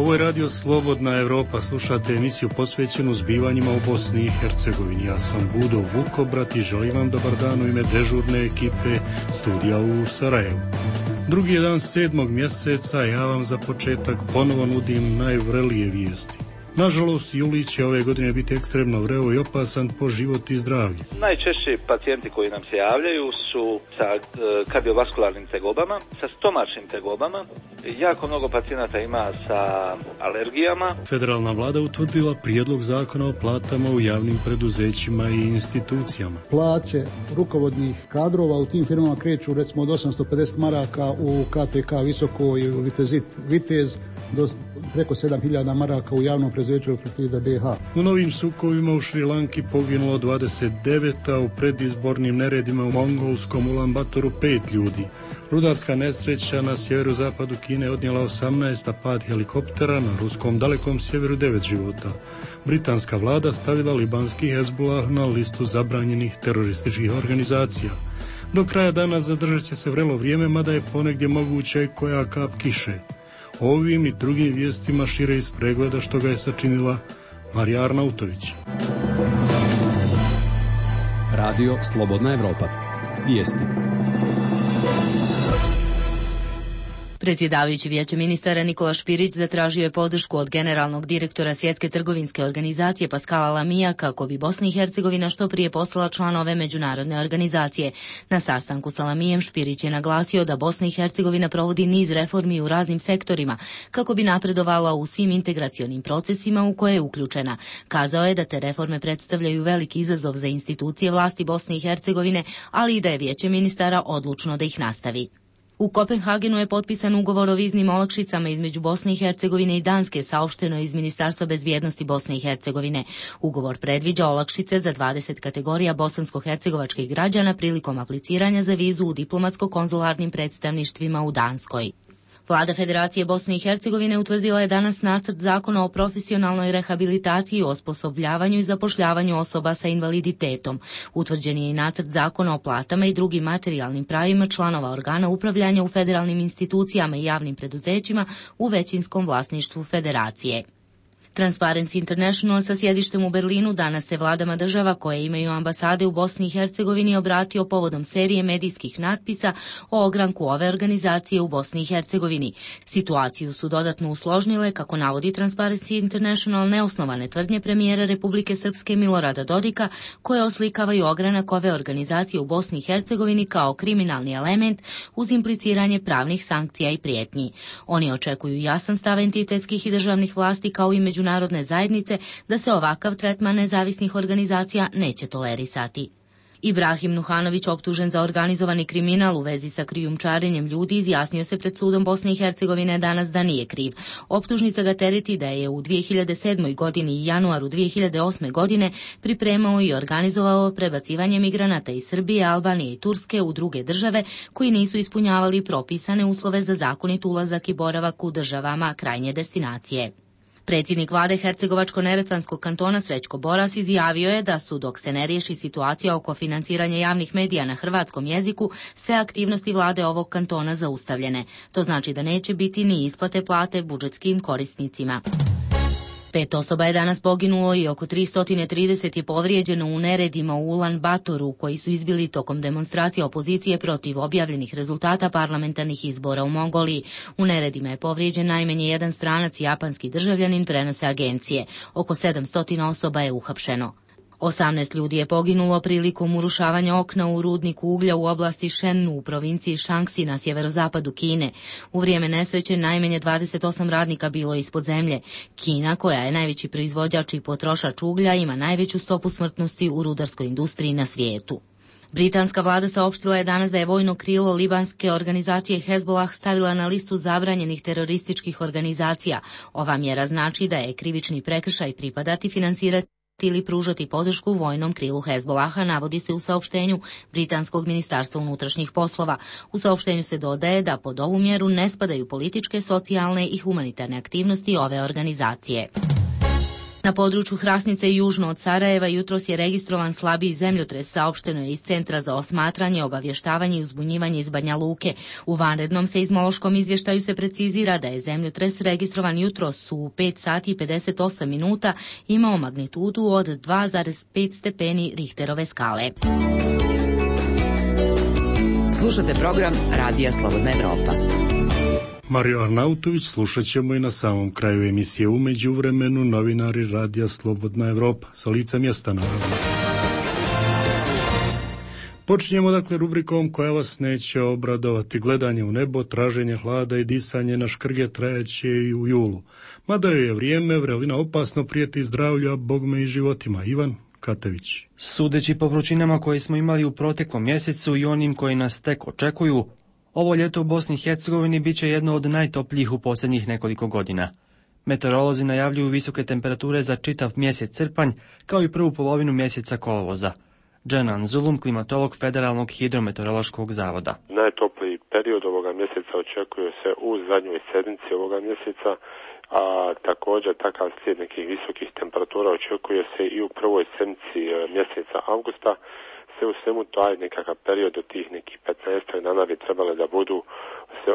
Ovo je Radio Slobodna Evropa, slušate emisiju posvećenu zbivanjima u Bosni i Hercegovini. Ja sam Budo Vukobrat i želim vam dobar dan u ime dežurne ekipe studija u Sarajevu. Drugi je dan 7. mjeseca, ja vam za početak ponovo nudim najvrelije vijesti. Nažalost, juli će ove godine biti ekstremno vreo i opasan po život i zdravlje. Najčešći pacijenti koji nam se javljaju su sa kardiovaskularnim tegobama, sa stomačnim tegobama. Jako mnogo pacijenata ima sa alergijama. Federalna vlada utvrdila prijedlog zakona o platama u javnim preduzećima i institucijama. Plaće rukovodnih kadrova u tim firmama kreću recimo od 850 maraka u KTK Visoko i u Vitez do preko 7000 maraka u javnom preduzeću Fertida BH. U novim sukovima u Šrilanki poginulo 29, a u predizbornim neredima u mongolskom Ulan Batoru 5 ljudi. Rudarska nesreća na sjeverozapadu Kine odnijela 18, a pad helikoptera na ruskom dalekom sjeveru 9 života. Britanska vlada stavila libanski Hezbollah na listu zabranjenih terorističkih organizacija. Do kraja dana zadržat će se vrelo vrijeme, mada je ponegdje moguće koja kap kiše. Ovim i drugim vijestima šire iz pregleda što ga je sačinila Marija Arnautović. Radio Slobodna Evropa. Vijesti. Predsjedavajući Vijeće ministara Nikola Špirić zatražio je podršku od generalnog direktora Svjetske trgovinske organizacije Pascala Lamija kako bi Bosna i Hercegovina što prije postala član ove međunarodne organizacije. Na sastanku sa Lamijem Špirić je naglasio da Bosna i Hercegovina provodi niz reformi u raznim sektorima kako bi napredovala u svim integracionim procesima u koje je uključena. Kazao je da te reforme predstavljaju veliki izazov za institucije vlasti Bosne i Hercegovine, ali i da je Vijeće ministara odlučno da ih nastavi. U Kopenhagenu je potpisan ugovor o viznim olakšicama između Bosne i Hercegovine i Danske, saopšteno iz Ministarstva bezbjednosti Bosne i Hercegovine. Ugovor predviđa olakšice za 20 kategorija bosansko-hercegovačkih građana prilikom apliciranja za vizu u diplomatsko-konzularnim predstavništvima u Danskoj. Vlada Federacije Bosne i Hercegovine utvrdila je danas nacrt zakona o profesionalnoj rehabilitaciji, osposobljavanju i zapošljavanju osoba sa invaliditetom. Utvrđen je i nacrt zakona o platama i drugim materijalnim pravima članova organa upravljanja u federalnim institucijama i javnim preduzećima u većinskom vlasništvu Federacije. Transparency International sa sjedištem u Berlinu danas se vladama država koje imaju ambasade u Bosni i Hercegovini obratio povodom serije medijskih natpisa o ogranku ove organizacije u Bosni i Hercegovini. Situaciju su dodatno usložnile, kako navodi Transparency International, neosnovane tvrdnje premijera Republike Srpske Milorada Dodika, koje oslikavaju ogranak ove organizacije u Bosni i Hercegovini kao kriminalni element uz impliciranje pravnih sankcija i prijetnji. Oni očekuju jasan stav entitetskih i državnih vlasti kao i međunarodne zajednice da se ovakav tretman nezavisnih organizacija neće tolerisati. Ibrahim Nuhanović, optužen za organizovani kriminal u vezi sa krijumčarenjem ljudi, izjasnio se pred sudom Bosne i Hercegovine danas da nije kriv. Optužnica ga tereti da je u 2007. godini i januaru 2008. godine pripremao i organizovao prebacivanje migranata iz Srbije, Albanije i Turske u druge države koji nisu ispunjavali propisane uslove za zakonit ulazak i boravak u državama krajnje destinacije. Predsjednik vlade Hercegovačko-neretvanskog kantona Srećko Boras izjavio je da su, dok se ne riješi situacija oko financiranja javnih medija na hrvatskom jeziku, sve aktivnosti vlade ovog kantona zaustavljene. To znači da neće biti ni isplate plate budžetskim korisnicima. 5 osoba je danas poginulo i oko 330 je povrijeđeno u neredima u Ulan Batoru koji su izbili tokom demonstracije opozicije protiv objavljenih rezultata parlamentarnih izbora u Mongoliji. U neredima je povrijeđen najmanje jedan stranac i japanski državljanin, prenose agencije. Oko 700 osoba je uhapšeno. 18 ljudi je poginulo prilikom urušavanja okna u rudniku uglja u oblasti Shennu u provinciji Shanxi na sjeverozapadu Kine. U vrijeme nesreće najmanje 28 radnika bilo je ispod zemlje. Kina, koja je najveći proizvođač i potrošač uglja, ima najveću stopu smrtnosti u rudarskoj industriji na svijetu. Britanska vlada saopštila je danas da je vojno krilo libanske organizacije Hezbollah stavila na listu zabranjenih terorističkih organizacija. Ova mjera znači da je krivični prekršaj pripadati, finansirati ili pružati podršku vojnom krilu Hezbollaha, navodi se u saopštenju Britanskog ministarstva unutrašnjih poslova. U saopštenju se dodaje da pod ovu mjeru ne spadaju političke, socijalne i humanitarne aktivnosti ove organizacije. Na području Hrasnice i južno od Sarajeva jutros je registrovan slabiji zemljotres, saopšteno je iz Centra za osmatranje, obavještavanje i uzbunjivanje iz Banja Luke. U vanrednom seizmološkom izvještaju se precizira da je zemljotres registrovan jutros u 5 sati i 58 minuta imao magnitudu od 2,5 stepeni Richterove skale. Slušate program Radija Slobodna Evropa. Mario Arnautović slušat ćemo i na samom kraju emisije. U međuvremenu novinari Radija Slobodna Evropa sa lica mjesta naravno. Počinjemo dakle rubrikom koja vas neće obradovati. Gledanje u nebo, traženje hlada i disanje na škrge trajaće i u julu. Mada joj je vrijeme, vrelina opasno prijeti zdravlju, a bogme i životima. Ivan Katević. Sudeći po vrućinama koje smo imali u proteklom mjesecu i onim koji nas tek očekuju, ovo ljeto u Bosni i Hercegovini bit će jedno od najtoplijih u posljednjih nekoliko godina. Meteorolozi najavljuju visoke temperature za čitav mjesec srpanj, kao i prvu polovinu mjeseca kolovoza. Dženan Zulum, klimatolog Federalnog hidrometeorološkog zavoda. Najtopliji period ovoga mjeseca očekuje se u zadnjoj sedmici ovoga mjeseca, a također takav slijed nekih visokih temperatura očekuje se i u prvoj sedmici mjeseca avgusta. Sve u svemu taj nekakav period od tih nekih 15 dana bi trebale da budu se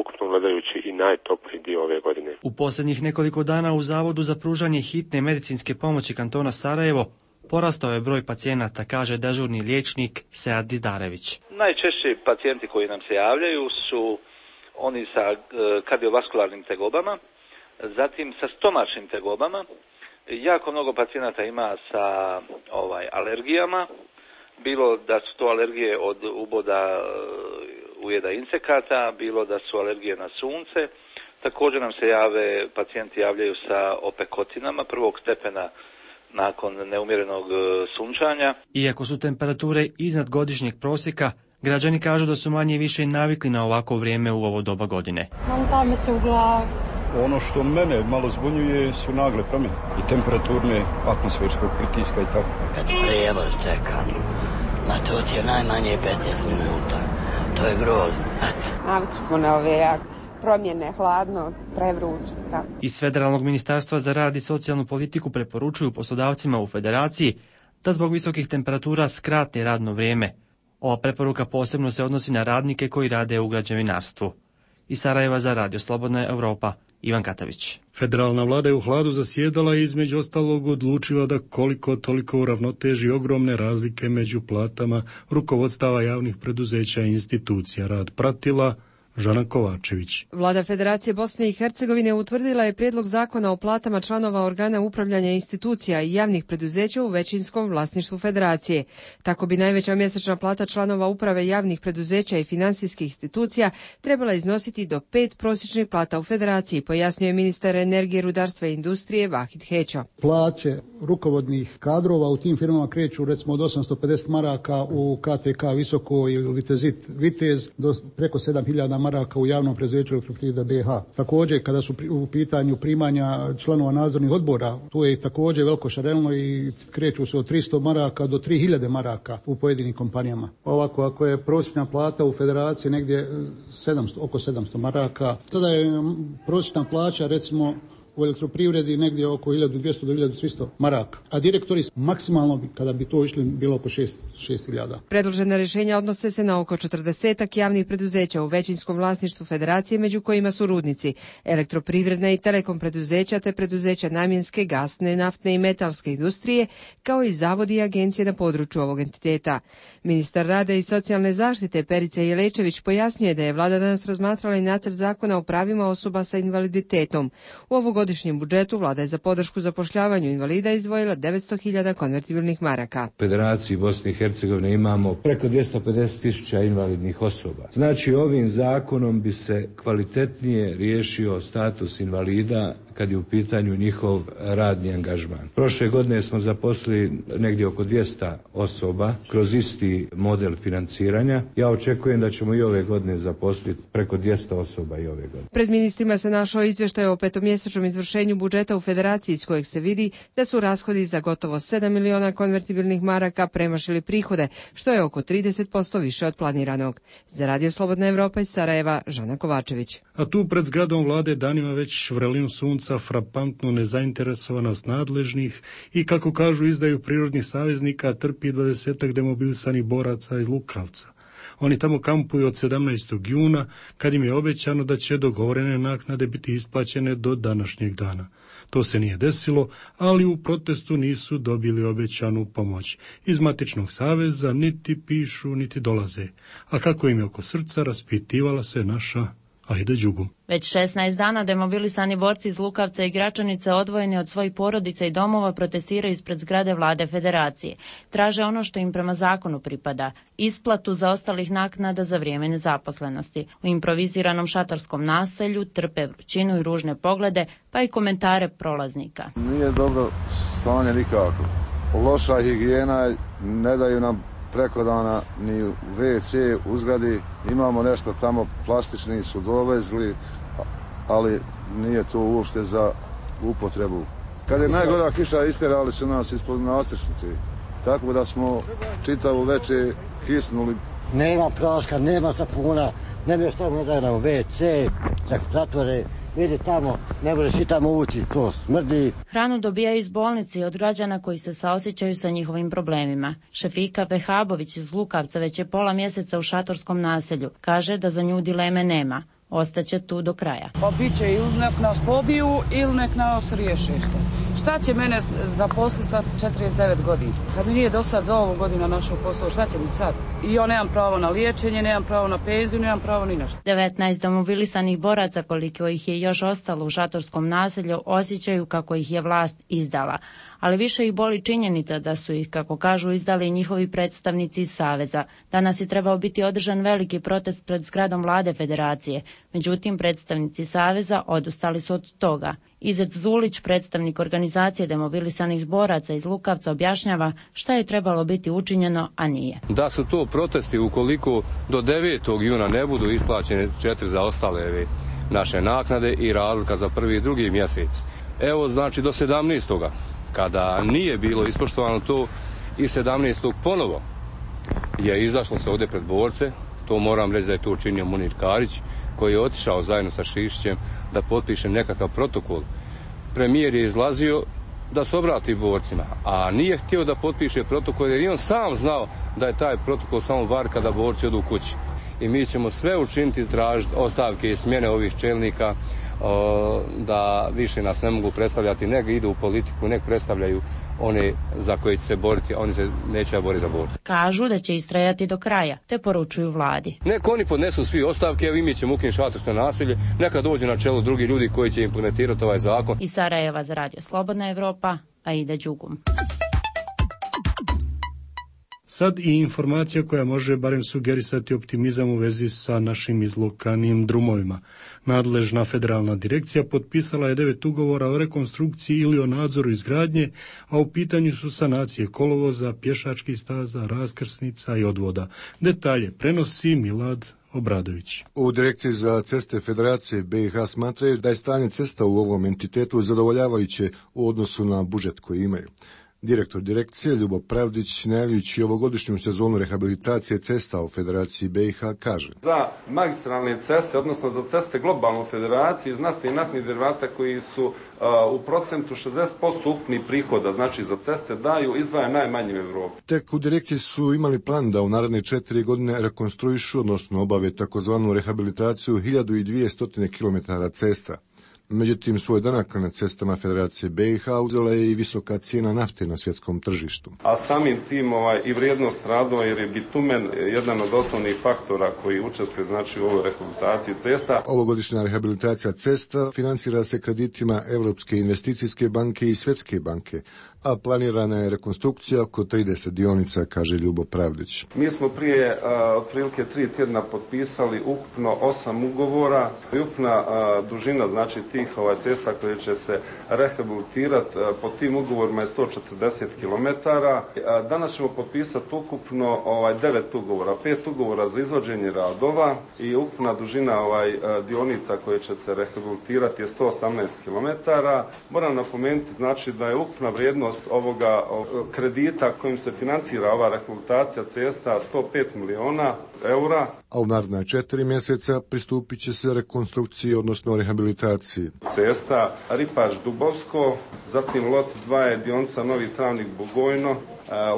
ukupno gledajući i najtopliji dio ove godine. U posljednjih nekoliko dana u Zavodu za pružanje hitne medicinske pomoći kantona Sarajevo porastao je broj pacijenata, kaže dežurni liječnik Sead Didarević. Najčešći pacijenti koji nam se javljaju su oni sa kardiovaskularnim tegobama, zatim sa stomačnim tegobama. Jako mnogo pacijenata ima sa alergijama, bilo da su to alergije od uboda ujeda insekata, bilo da su alergije na sunce. Također nam se pacijenti javljaju sa opekotinama prvog stepena nakon neumjerenog sunčanja. Iako su temperature iznad godišnjeg prosjeka, građani kažu da su manje i više navikli na ovako vrijeme u ovo doba godine. Malo me se u glavu. Ono što mene malo zbunjuje su nagle promjene i temperaturne, atmosferskog pritiska i tako. Kad prijevoz čekam, na to ti je najmanje 15 minuta. To je grozno. Navikli smo na ove promjene, hladno, prevruće. Iz Federalnog ministarstva za rad i socijalnu politiku preporučuju poslodavcima u federaciji da zbog visokih temperatura skrate radno vrijeme. Ova preporuka posebno se odnosi na radnike koji rade u građevinarstvu. Iz Sarajeva za Radio Slobodna Evropa, Ivan Katavić. Federalna vlada je u hladu zasjedala i između ostalog odlučila da koliko toliko uravnoteži ogromne razlike među platama rukovodstava javnih preduzeća i institucija. Rad pratila Žana Kovačević. Vlada Federacije Bosne i Hercegovine utvrdila je prijedlog zakona o platama članova organa upravljanja institucija i javnih preduzeća u većinskom vlasništvu Federacije. Tako bi najveća mjesečna plata članova uprave javnih preduzeća i financijskih institucija trebala iznositi do 5 prosječnih plata u Federaciji, pojasnjuje ministar energije, rudarstva i industrije Vahid Hećo. Plaće rukovodnih kadrova u tim firmama kreću recimo od 850 maraka u KTK Visoko i Vitezit Vitez do preko 7000 maraka u javnom preduzeću Elektroprivreda BiH. Također, kada su u pitanju primanja članova nadzornih odbora, tu je također veliko šarelno i kreću se od 300 maraka do 3000 maraka u pojedinim kompanijama. Ovako, ako je prosječna plata u Federaciji negdje oko 700 maraka, tada je prosječna plaća recimo u elektroprivredi negdje oko 1200 do 1300 maraka, a direktori maksimalno kada bi to išli bilo oko 6000. Predložena rješenja odnose se na oko 40 javnih preduzeća u većinskom vlasništvu Federacije, među kojima su rudnici, elektroprivredna i telekom preduzeća te preduzeća namjenske, gasne, naftne i metalske industrije, kao i zavodi i agencije na području ovog entiteta. Ministar rada i socijalne zaštite Perica Jelečević pojasnjuje da je vlada danas razmatrala i nacrt zakona o pravima osoba sa invaliditetom. U ovogodišnjem budžetu vlada je za podršku zapošljavanju invalida izdvojila 900.000 konvertibilnih maraka. U Federaciji Bosne i Hercegovine imamo preko 250.000 invalidnih osoba. Znači, ovim zakonom bi se kvalitetnije riješio status invalida kad je u pitanju njihov radni angažman. Prošle godine smo zaposlili negdje oko 200 osoba kroz isti model financiranja. Ja očekujem da ćemo i ove godine zaposliti preko 200 osoba i ove godine. Pred ministrima se našao izvještaj o petomjesečnom izvršenju budžeta u Federaciji, iz kojeg se vidi da su rashodi za gotovo 7 miliona konvertibilnih maraka premašili prihode, što je oko 30% više od planiranog. Za Radio Slobodna Evropa iz Sarajeva, Žana Kovačević. A tu pred zgradom vlade danima već vrelinu sunca konca frapantnu nezainteresovanost nadležnih i, kako kažu, izdaju prirodnih saveznika trpi 20 demobilisanih boraca iz Lukavca. Oni tamo kampuju od 17. juna, kad im je obećano da će dogovorene naknade biti isplaćene do današnjeg dana. To se nije desilo, ali u protestu nisu dobili obećanu pomoć. Iz Matičnog saveza niti pišu, niti dolaze. A kako im je oko srca, raspitivala se naša Aida Đugum. Već 16 dana demobilisani borci iz Lukavca i Gračanice, odvojeni od svojih porodica i domova, protestiraju ispred zgrade Vlade Federacije. Traže ono što im prema zakonu pripada, isplatu zaostalih naknada za vrijeme nezaposlenosti. U improviziranom šatorskom naselju trpe vrućinu i ružne poglede, pa i komentare prolaznika. Nije dobro stanje nikako. Loša higijena, ne daju nam preko dana ni u WC u zgradi, imamo nešto tamo, plastični su dovezli, ali nije to uopšte za upotrebu. Kad je najgora kiša, isterali su nas ispod nastrešnice, tako da smo čitavu večer kisnuli. Nema praška, nema sapuna, nema što ne daje nam WC, zatvore. Vidi tamo, ne možeš i tamo ući, to smrdi. Hranu dobijaju iz bolnice i od građana koji se saosjećaju sa njihovim problemima. Šefika Vehabović iz Lukavca već je pola mjeseca u šatorskom naselju. Kaže da za nju dileme nema. Ostaće tu do kraja. Pa bit će ili nek nas pobiju ili nek nas riješe što. Šta će mene zaposliti sa 49 godina? Kad mi nije do sad za ovu godinu našao posao, šta će mi sad? I ja nemam pravo na liječenje, nemam pravo na penziju, nemam pravo ni na što. 19 demobilisanih boraca, koliko ih je još ostalo u šatorskom naselju, osjećaju kako ih je vlast izdala. Ali više ih boli činjenica da su ih, kako kažu, izdali njihovi predstavnici iz Saveza. Danas je trebao biti održan veliki protest pred zgradom Vlade Federacije. Međutim, predstavnici Saveza odustali su od toga. Izet Zulić, predstavnik organizacije demobilisanih boraca iz Lukavca, objašnjava šta je trebalo biti učinjeno, a nije. Da su to protesti ukoliko do 9. juna ne budu isplaćene 4 zaostale naše naknade i razlika za prvi i drugi mjesec. Evo, znači do 17. kada nije bilo ispoštovano to i 17. ponovo je izašlo se ovdje pred borce. To moram reći da je to učinio Munir Karić, koji je otišao zajedno sa Šišićem da potpiše nekakav protokol. Premijer je izlazio da se obrati borcima, a nije htio da potpiše protokol jer i on sam znao da je taj protokol samo varka da borci odu u kući. I mi ćemo sve učiniti, iztražiti ostavke i smjene ovih čelnika, da više nas ne mogu predstavljati, nek idu u politiku, nek predstavljaju one za koje će se boriti, oni se neće boriti za borce. Kažu da će istrajati do kraja, te poručuju vladi. Nek oni podnesu svi ostavke, evo i mi ćemo ukinuti šatorsko naselje, neka dođu na čelo drugi ljudi koji će implementirati ovaj zakon. Iz Sarajeva za Radio Slobodna Evropa, Aida Đugum. Sad i informacija koja može barem sugerisati optimizam u vezi sa našim izlokanim drumovima. Nadležna federalna direkcija potpisala je 9 ugovora o rekonstrukciji ili o nadzoru izgradnje, a u pitanju su sanacije kolovoza, pješačkih staza, raskrsnica i odvoda. Detalje prenosi Milad Obradović. U Direkciji za ceste Federacije BiH smatraju da je stanje cesta u ovom entitetu zadovoljavajuće u odnosu na budžet koji imaju. Direktor direkcije Ljubo Pravdić, najavljujući ovogodišnju sezonu rehabilitacije cesta u Federaciji BiH, kaže: Za magistralne ceste, odnosno za ceste globalno federacije, znate i naftnih derivata koji su u procentu 60% ukupnih prihoda, znači za ceste daju, izdvaja najmanje u Evropi. Tek u direkciji su imali plan da u naredne 4 godine rekonstruišu, odnosno obave takozvanu rehabilitaciju 1200 km cesta. Međutim, svoj danak na cestama Federacije BiH uzela je i visoka cijena nafte na svjetskom tržištu. A samim tim i vrijednost radova, jer je bitumen jedan od osnovnih faktora koji učestvuje znači u ovoj rehabilitaciji cesta. Ovogodišnja rehabilitacija cesta financira se kreditima Europske investicijske banke i Svjetske banke, a planirana je rekonstrukcija oko 30 dionica, kaže Ljubo Pravdić. Mi smo prije otprilike 3 tjedna potpisali ukupno 8 ugovora i ukupna dužina znači tih cesta koje će se rehabilitirati po tim ugovorima je 140 km. Danas ćemo potpisati ukupno 9 ugovora, 5 ugovora za izvođenje radova i ukupna dužina dionica koje će se rehabilitirati je 118 km. Moram napomenuti znači da je ukupna vrijednost ovoga kredita kojim se financira ova rehabilitacija cesta 105 miliona eura. A u naredna 4 mjeseca pristupit će se rekonstrukciji, odnosno rehabilitaciji federaciji. Cesta Ripaš-Dubovsko, zatim lot 2 je dionica Novi Travnik-Bugojno,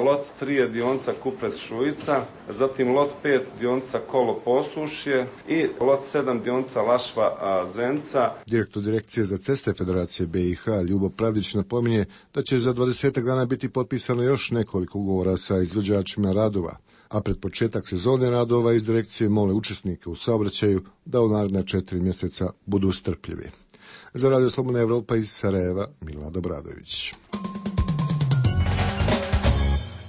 lot 3 je dionica Kupres-Šujica, zatim lot 5 dionica Kolo-Posušje i lot 7 dionica Lašva-Zenca. Direktor Direkcije za ceste Federacije BiH Ljubo Pravdić napominje da će za 20 dana biti potpisano još nekoliko ugovora sa izvođačima radova, a pred početak sezone radova iz direkcije mole učesnike u saobraćaju da u naredna 4 mjeseca budu strpljivi. Za Radio Slobodna Evropa iz Sarajeva, Milad Obradović.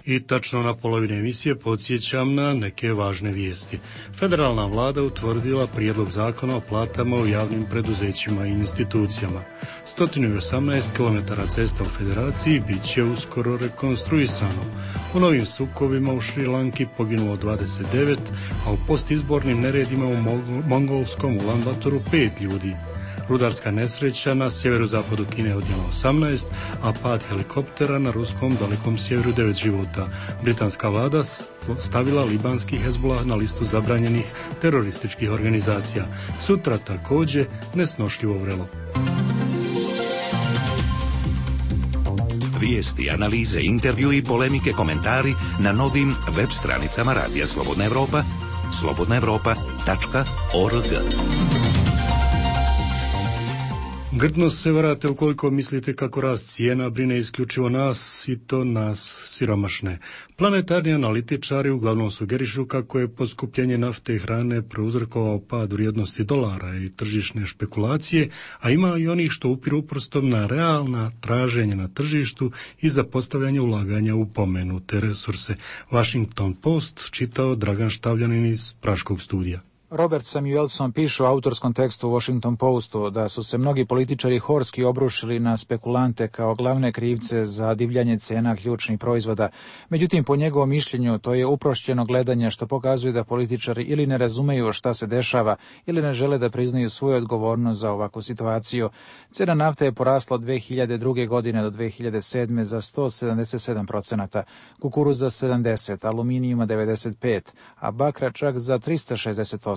I tačno na polovini emisije podsjećam na neke važne vijesti. Federalna vlada utvrdila prijedlog zakona o platama u javnim preduzećima i institucijama. 118 km cesta u federaciji bit će uskoro rekonstruisano. U novim sukobima u Šrilanki poginulo 29, a u postizbornim neredima u mongolskom Ulan Batoru 5 ljudi. Rudarska nesreća na sjeverozapadu Kine je odnijela 18, a pad helikoptera na ruskom dalekom sjeveru 9 života. Britanska vlada stavila libanski Hezbollah na listu zabranjenih terorističkih organizacija. Sutra također nesnošljivo vrelo. Vijesti, analize, intervju i polemike, komentari na novim web stranicama Radija Slobodna Evropa, slobodnaevropa.org. Grdno se varate ukoliko mislite kako rast cijena brine isključivo nas i to nas siromašne. Planetarni analitičari uglavnom sugerišu kako je poskupljenje nafte i hrane prouzrokovao pad vrijednosti dolara i tržišne špekulacije, a ima i onih što upiru prstom na realna traženja na tržištu i zapostavljanje ulaganja u pomenute resurse. Washington Post čitao Dragan Štavljanin iz Praškog studija. Robert Samuelson piše u autorskom tekstu u Washington Postu da su se mnogi političari horski obrušili na spekulante kao glavne krivce za divljanje cena ključnih proizvoda. Međutim, po njegovom mišljenju, to je uprošćeno gledanje što pokazuje da političari ili ne razumeju šta se dešava ili ne žele da priznaju svoju odgovornost za ovakvu situaciju. Cena nafte je porasla od 2002. godine do 2007. za 177%, kukuruz za 70%, aluminijuma 95%, a bakra čak za 360%.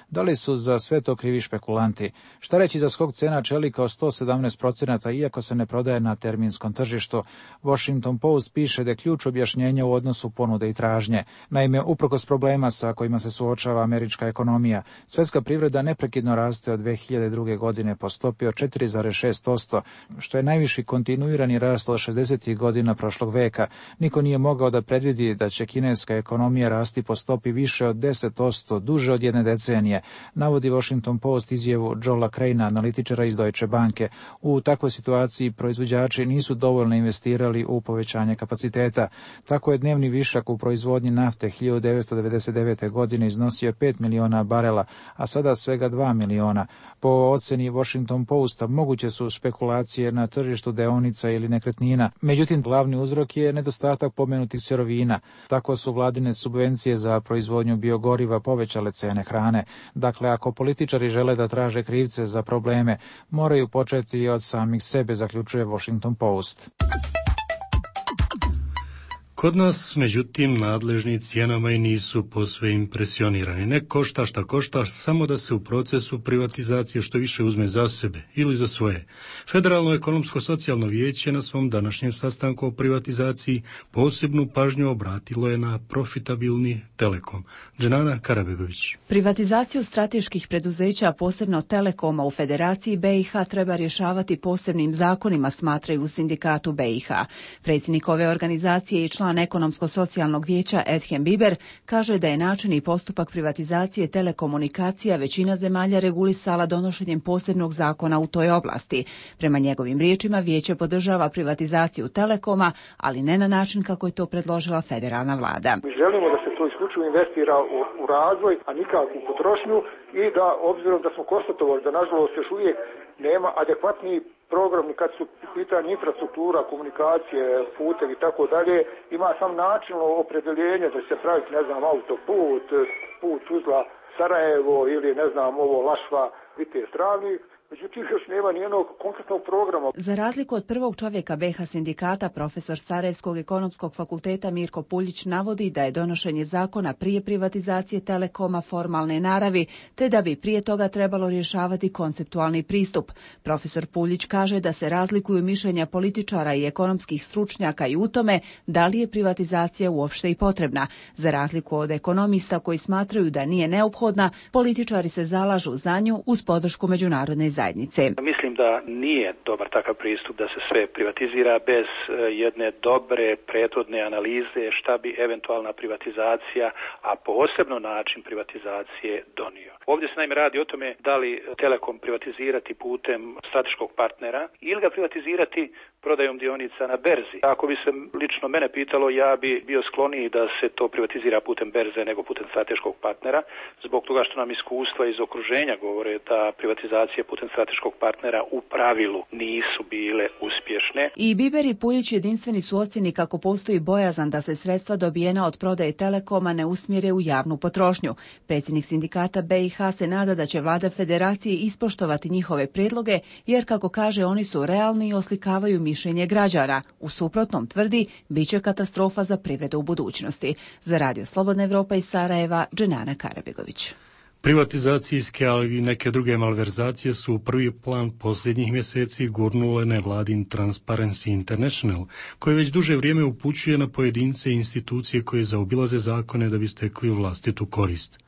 Da li su za sve to krivi špekulanti? Šta reći za skok cena čelika od 117%, iako se ne prodaje na terminskom tržištu? Washington Post piše da je ključ objašnjenja u odnosu ponude i tražnje. Naime, uprkos problema sa kojima se suočava američka ekonomija, svjetska privreda neprekidno raste od 2002. godine po stopi od 4,6%, što je najviši kontinuirani rast od 60. godina prošlog veka. Niko nije mogao da predvidi da će kineska ekonomija rasti po stopi više od 10% duže od jedne decenije, navodi Washington Post izjavu Joela Craina, analitičara iz Deutsche Banke. U takvoj situaciji proizvođači nisu dovoljno investirali u povećanje kapaciteta. Tako je dnevni višak u proizvodnji nafte 1999. godine iznosio 5 miliona barela, a sada svega 2 miliona. Po oceni Washington Posta moguće su špekulacije na tržištu deonica ili nekretnina. Međutim, glavni uzrok je nedostatak pomenutih sirovina. Tako su vladine subvencije za proizvodnju biogoriva povećale cene hrane. Dakle, ako političari žele da traže krivce za probleme, moraju početi od samih sebe, zaključuje Washington Post. Kod nas, međutim, nadležni cijenama i nisu posve impresionirani. Ne košta šta košta, samo da se u procesu privatizacije što više uzme za sebe ili za svoje. Federalno ekonomsko-socijalno vijeće na svom današnjem sastanku o privatizaciji posebnu pažnju obratilo je na profitabilni Telekom. Dženana Karabegović. Privatizaciju strateških preduzeća, posebno Telekoma u Federaciji BiH, treba rješavati posebnim zakonima, smatraju u sindikatu BiH. Predsjednik ove organizacije i član ekonomsko-socijalnog vijeća Edhem Biber kaže da je način i postupak privatizacije telekomunikacija većina zemalja regulisala donošenjem posebnog zakona u toj oblasti. Prema njegovim riječima, vijeće podržava privatizaciju Telekoma, ali ne na način kako je to predložila federalna vlada. Mi želimo da se to isključivo investira u razvoj, a nikako u potrošnju, i da, obzirom da smo konstatovali da nažalost još uvijek nema adekvatniji program kad su pitanje infrastruktura, komunikacije, putevi i tako dalje, ima sam načelno opredeljenje da se pravi, ne znam, autoput, put uzla Sarajevo ili, ne znam, ovo Lašva, Vitez Travnik, međutim još nema nijednog konkretnog programa. Za razliku od prvog čovjeka BiH sindikata, profesor Sarajevskog ekonomskog fakulteta Mirko Puljić navodi da je donošenje zakona prije privatizacije Telekoma formalne naravi, te da bi prije toga trebalo rješavati konceptualni pristup. Profesor Puljić kaže da se razlikuju mišljenja političara i ekonomskih stručnjaka i u tome da li je privatizacija uopšte i potrebna. Za razliku od ekonomista koji smatraju da nije neophodna, političari se zalažu za nju uz podršku međunarodne zajednice. Mislim da nije dobar takav pristup da se sve privatizira bez jedne dobre prethodne analize šta bi eventualna privatizacija, a posebno način privatizacije donio. Ovdje se naime radi o tome da li Telekom privatizirati putem strateškog partnera ili ga privatizirati prodajom dionica na berzi. Ako bi se lično mene pitalo, ja bi bio skloniji da se to privatizira putem berze nego putem strateškog partnera, zbog toga što nam iskustva iz okruženja govore da privatizacije putem strateškog partnera u pravilu nisu bile uspješne. I Biber i Puljić jedinstveni su ocjeni kako postoji bojazan da se sredstva dobijena od prodaje Telekoma ne usmjere u javnu potrošnju. Predsjednik sindikata BiH se nada da će vlada federacije ispoštovati njihove prijedloge, jer kako kaže oni su realni i oslikavaju mišljenje građana. U suprotnom, tvrdi, bit će katastrofa za privredu u budućnosti. Za Radio Slobodna Evropa iz Sarajeva, Dženana Karabegović. Privatizacijske, ali i neke druge malverzacije su u prvi plan posljednjih mjeseci gurnule nevladin Transparency International, koji već duže vrijeme upućuje na pojedince i institucije koje zaobilaze zakone da bi stekli vlastitu korist.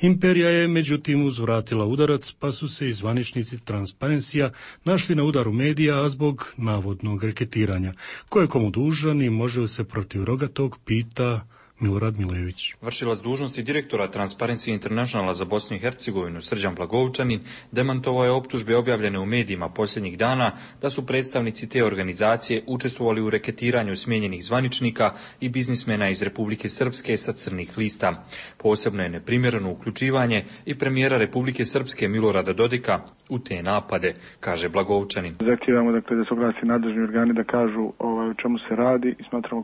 Imperija je međutim uzvratila udarac, pa su se i zvaničnici Transparencija našli na udaru medija, a zbog navodnog reketiranja. Ko je komu dužan i može li se protiv rogatog, pita Milorad Milojević. Vršilac dužnosti direktora Transparency Internationala za Bosnu i Hercegovinu Srđan Blagovčanin demantovao je optužbe objavljene u medijima posljednjih dana da su predstavnici te organizacije učestvovali u reketiranju smijenjenih zvaničnika i biznismena iz Republike Srpske sa crnih lista. Posebno je neprimjereno uključivanje i premijera Republike Srpske Milorada Dodika u te napade, kaže Blagovčanin. Zahtijevamo da se oglasi nadležni organi da kažu o čemu se radi i smatramo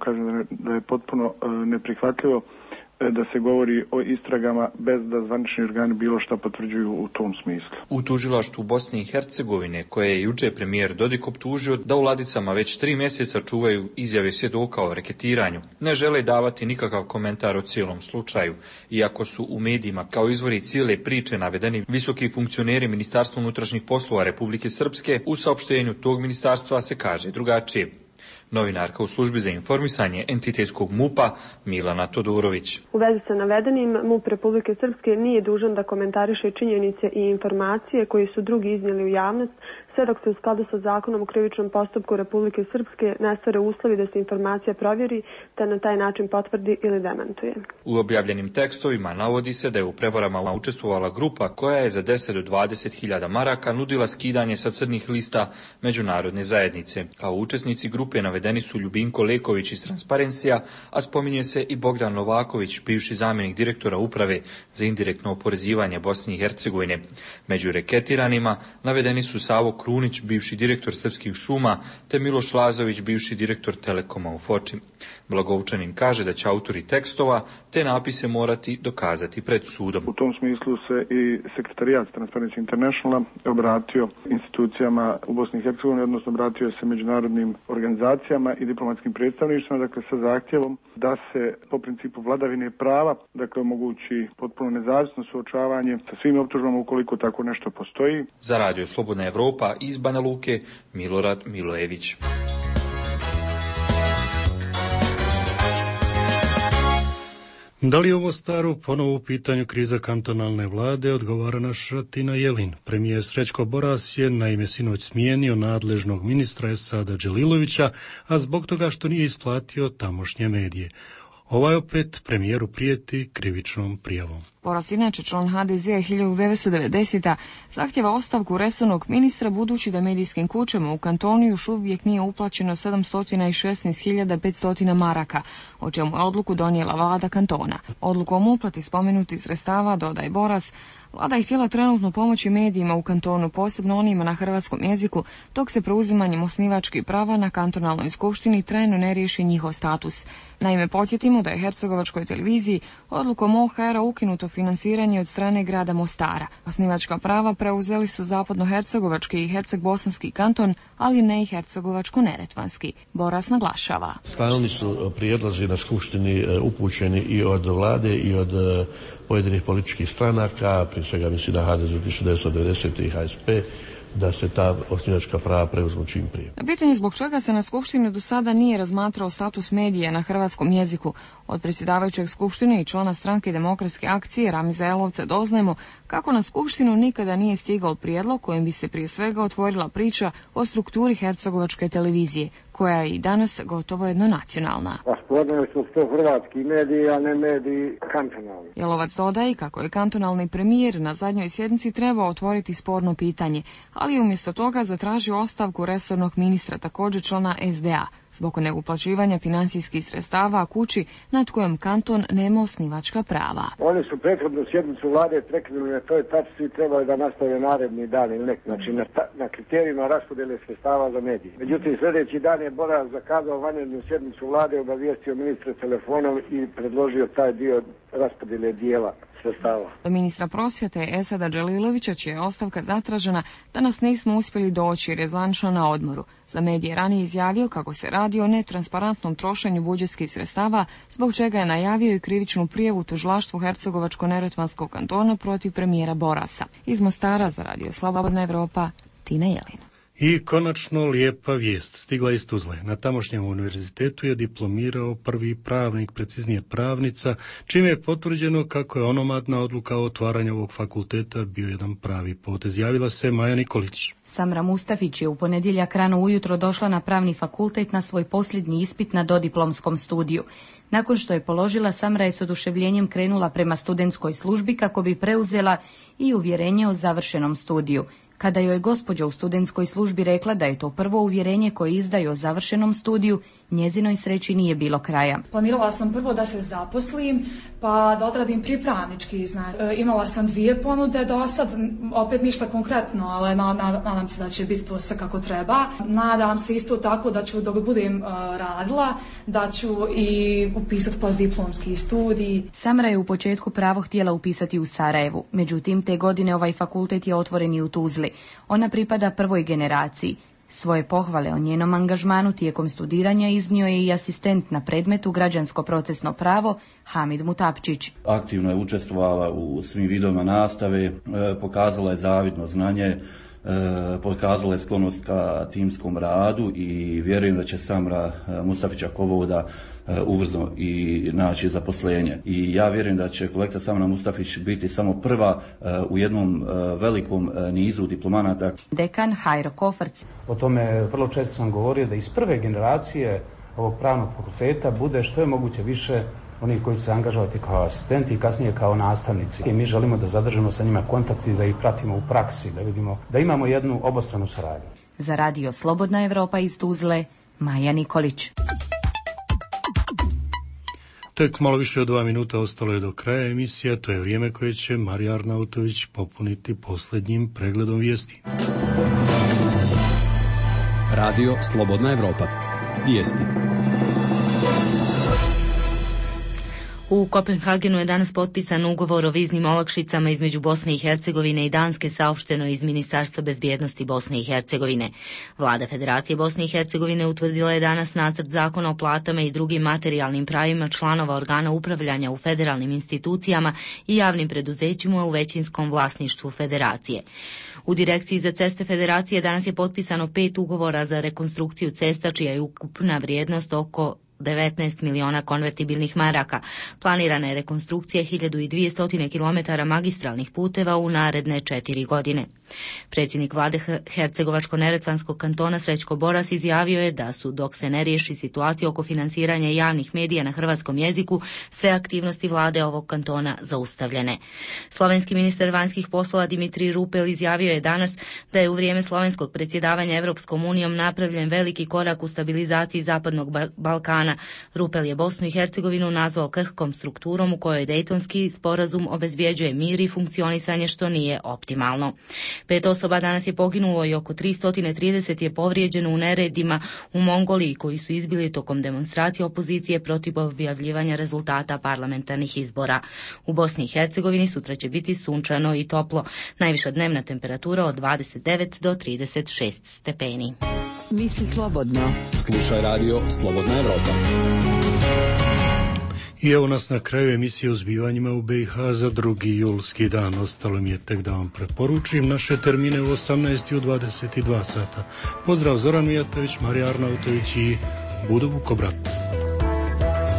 da je potpuno neprihvatljivo da se govori o istragama bez da zvanični organi bilo šta potvrđuju u tom smislu. U tužilaštvu Bosne i Hercegovine, koje je juče premijer Dodik optužio da u ladicama već 3 mjeseca čuvaju izjave svjedoka o reketiranju, ne žele davati nikakav komentar o cijelom slučaju, iako su u medijima kao izvori cijele priče navedeni visoki funkcioneri Ministarstva unutrašnjih poslova Republike Srpske, u saopštenju tog ministarstva se kaže drugačije. Novinarka u službi za informisanje entitetskog MUP-a Milana Todorović. U vezi sa navedenim, MUP Republike Srpske nije dužan da komentariše činjenice i informacije koje su drugi iznijeli u javnost, sve dok se u skladu sa zakonom o krivičnom postupku Republike Srpske ne stvore uslovi da se informacija provjeri, te na taj način potvrdi ili demantuje. U objavljenim tekstovima navodi se da je u prevarama učestvovala grupa koja je za 10 do 20.000 maraka nudila skidanje sa crnih lista međunarodne zajednice. Kao učesnici grupe navedeni su Ljubinko Leković iz Transparencija, a spominje se i Bogdan Novaković, bivši zamjenik direktora uprave za indirektno oporezivanje Bosne i Hercegovine. Među reketiranima navedeni su Savo Krunić, bivši direktor Srpskih šuma, te Miloš Lazović, bivši direktor Telekoma u Foči. Blagovčanin kaže da će autori tekstova te napise morati dokazati pred sudom. U tom smislu se i sekretarijat Transparency Internationala obratio institucijama u Bosni i Hercegovini, odnosno obratio se međunarodnim organizacijama i diplomatskim predstavništvima, dakle sa zahtjevom da se po principu vladavine prava, dakle omogući potpuno nezavisno suočavanje sa svim optužbama ukoliko tako nešto postoji. Za Radio Slobodna Evropa iz Banja Luke, Milorad Milojević. Da li je ovo staro ponovo u pitanju kriza kantonalne vlade, odgovara naša Tina Jelin. Premijer Srećko Boras je naime sinoć smijenio nadležnog ministra Esada Dželilovića, a zbog toga što nije isplatio tamošnje medije. Ovaj opet premijeru prijeti krivičnom prijavom. Boras, inače član HDZ-a 1990. zahtjeva ostavku resornog ministra budući da medijskim kućama u kantonu još uvijek nije uplaćeno 716.500 maraka, o čemu je odluku donijela vlada kantona. Odlukom o uplati spomenutih sredstava, dodaje Boras, vlada je htjela trenutno pomoći medijima u kantonu, posebno onima na hrvatskom jeziku, dok se preuzimanjem osnivačkih prava na kantonalnoj skupštini trajno ne riješi njihov status. Naime, podsjetimo da je hercegovačkoj televiziji odlukom OHR-a ukinuto finansiranje od strane grada Mostara. Osnivačka prava preuzeli su zapadnohercegovački i herceg-bosanski kanton, ali ne i hercegovačko-neretvanski. Boras naglašava. Stalni su prijedlozi na skupštini upućeni i od vlade i od pojedinih političkih stranaka, prije svega mislim da HDZ 1990 i HSP, da se ta osnivačka prava preuzmu čim prije. Na pitanje zbog čega se na skupštini do sada nije razmatrao status medija na hrvatskom jeziku, od predsjedavajućeg skupštine i člana stranke Demokratske akcije Ramiza Elovca doznajemo kako na skupštinu nikada nije stigao prijedlog kojim bi se prije svega otvorila priča o strukturi hercegovačke televizije, koja je i danas gotovo jednonacionalna. Raspodneli su to hrvatski mediji, a ne mediji kantonalni. Jelovac dodaje kako je kantonalni premijer na zadnjoj sjednici trebao otvoriti sporno pitanje, ali umjesto toga zatražio ostavku resornog ministra, također člana SDA, zbog neuplaćivanja financijskih sredstava kući nad kojom kanton nema osnivačka prava. Oni su prethodnu sjednicu vlade prekinuli na toj tačci i trebali da nastave naredni dan ili nek, znači na kriterijima raspodjele sredstava za medije. Međutim, sljedeći dan je Boras zakazao vanrednu sjednicu vlade, obavijestio ministra telefonom i predložio taj dio raspodjele dijela sredstava. Do ministra prosvjete Esada Dželilovića, čija je ostavka zatražena, danas nismo uspjeli doći jer je zvanično na odmoru. Za medije ranije izjavio kako se radi o netransparentnom trošenju budžetskih sredstava, zbog čega je najavio i krivičnu prijavu tužilaštvu Hercegovačko-neretvanskog kantona protiv premijera Borasa. Iz Mostara za Radio Slobodna Evropa, Tina Jelin. I konačno lijepa vijest stigla iz Tuzle. Na tamošnjem univerzitetu je diplomirao prvi pravnik, preciznije pravnica, čime je potvrđeno kako je onomadna odluka o otvaranju ovog fakulteta bio jedan pravi potez. Javila se Maja Nikolić. Samra Mustafić je u ponedjeljak rano ujutro došla na pravni fakultet na svoj posljednji ispit na dodiplomskom studiju. Nakon što je položila, Samra je s oduševljenjem krenula prema studentskoj službi kako bi preuzela i uvjerenje o završenom studiju. Kada joj gospođa u studentskoj službi rekla da je to prvo uvjerenje koje izdaju o završenom studiju, njezinoj sreći nije bilo kraja. Planirala sam prvo da se zaposlim, pa da odradim pripravnički. Imala sam 2 ponude do sad, opet ništa konkretno, ali nadam se da će biti to sve kako treba. Nadam se isto tako da ću, dok budem radila, da ću i upisati postdiplomski studij. Samra je u početku pravo htjela upisati u Sarajevu, međutim te godine ovaj fakultet je otvoren i u Tuzli. Ona pripada prvoj generaciji. Svoje pohvale o njenom angažmanu tijekom studiranja iznio je i asistent na predmetu građansko procesno pravo Hamid Mutapčić. Aktivno je učestvovala u svim vidovima nastave, pokazala je zavidno znanje, pokazala je sklonost ka timskom radu i vjerujem da će Samra Mustafića Kovoda ubrzo i naći zaposlenje. I ja vjerujem da će kolegica Samra Mustafić biti samo prva u jednom velikom nizu diplomanata. Dekan Hajro Kofarc. O tome vrlo često sam govorio da iz prve generacije ovog pravnog fakulteta bude što je moguće više onih koji će se angažovati kao asistenti i kasnije kao nastavnici. I mi želimo da zadržimo sa njima kontakt i da ih pratimo u praksi, da vidimo da imamo jednu obostranu saradnju. Za Radio Slobodna Evropa iz Tuzle, Maja Nikolić. Tek malo više od 2 minuta ostalo je do kraja emisija, to je vrijeme koje će Marija Arnautović popuniti posljednjim pregledom vijesti. Radio Slobodna Evropa. Vijesti. U Kopenhagenu je danas potpisan ugovor o viznim olakšicama između Bosne i Hercegovine i Danske, saopšteno iz Ministarstva bezbjednosti Bosne i Hercegovine. Vlada Federacije Bosne i Hercegovine utvrdila je danas nacrt zakona o platama i drugim materijalnim pravima članova organa upravljanja u federalnim institucijama i javnim preduzećima u većinskom vlasništvu Federacije. U Direkciji za ceste Federacije danas je potpisano 5 ugovora za rekonstrukciju cesta, čija je ukupna vrijednost oko 19 miliona konvertibilnih maraka. Planirana je rekonstrukcija 1200 km magistralnih puteva u naredne 4 godine. Predsjednik vlade Hercegovačko-neretvanskog kantona Srećko Boras izjavio je da su, dok se ne riješi situacija oko financiranja javnih medija na hrvatskom jeziku, sve aktivnosti vlade ovog kantona zaustavljene. Slovenski ministar vanjskih poslova Dimitrij Rupel izjavio je danas da je u vrijeme slovenskog predsjedavanja Evropskom unijom napravljen veliki korak u stabilizaciji Zapadnog Balkana. Rupel je Bosnu i Hercegovinu nazvao krhkom strukturom u kojoj Dejtonski sporazum obezbjeđuje mir i funkcionisanje, što nije optimalno. 5 osoba danas je poginulo i oko 330 je povrijeđeno u neredima u Mongoliji koji su izbili tokom demonstracije opozicije protiv objavljivanja rezultata parlamentarnih izbora. U Bosni i Hercegovini sutra će biti sunčano i toplo. Najviša dnevna temperatura od 29 do 36 stepeni. Misli slobodno. Slušaj radio Slobodna Evropa. I evo nas na kraju emisije o zbivanjima u BiH za 2. julski dan. Ostalo mi je tek da vam preporučim naše termine u 18 i u 22 sata. Pozdrav, Zoran Mijatović, Marija Arnautović i Budo Vukobrat.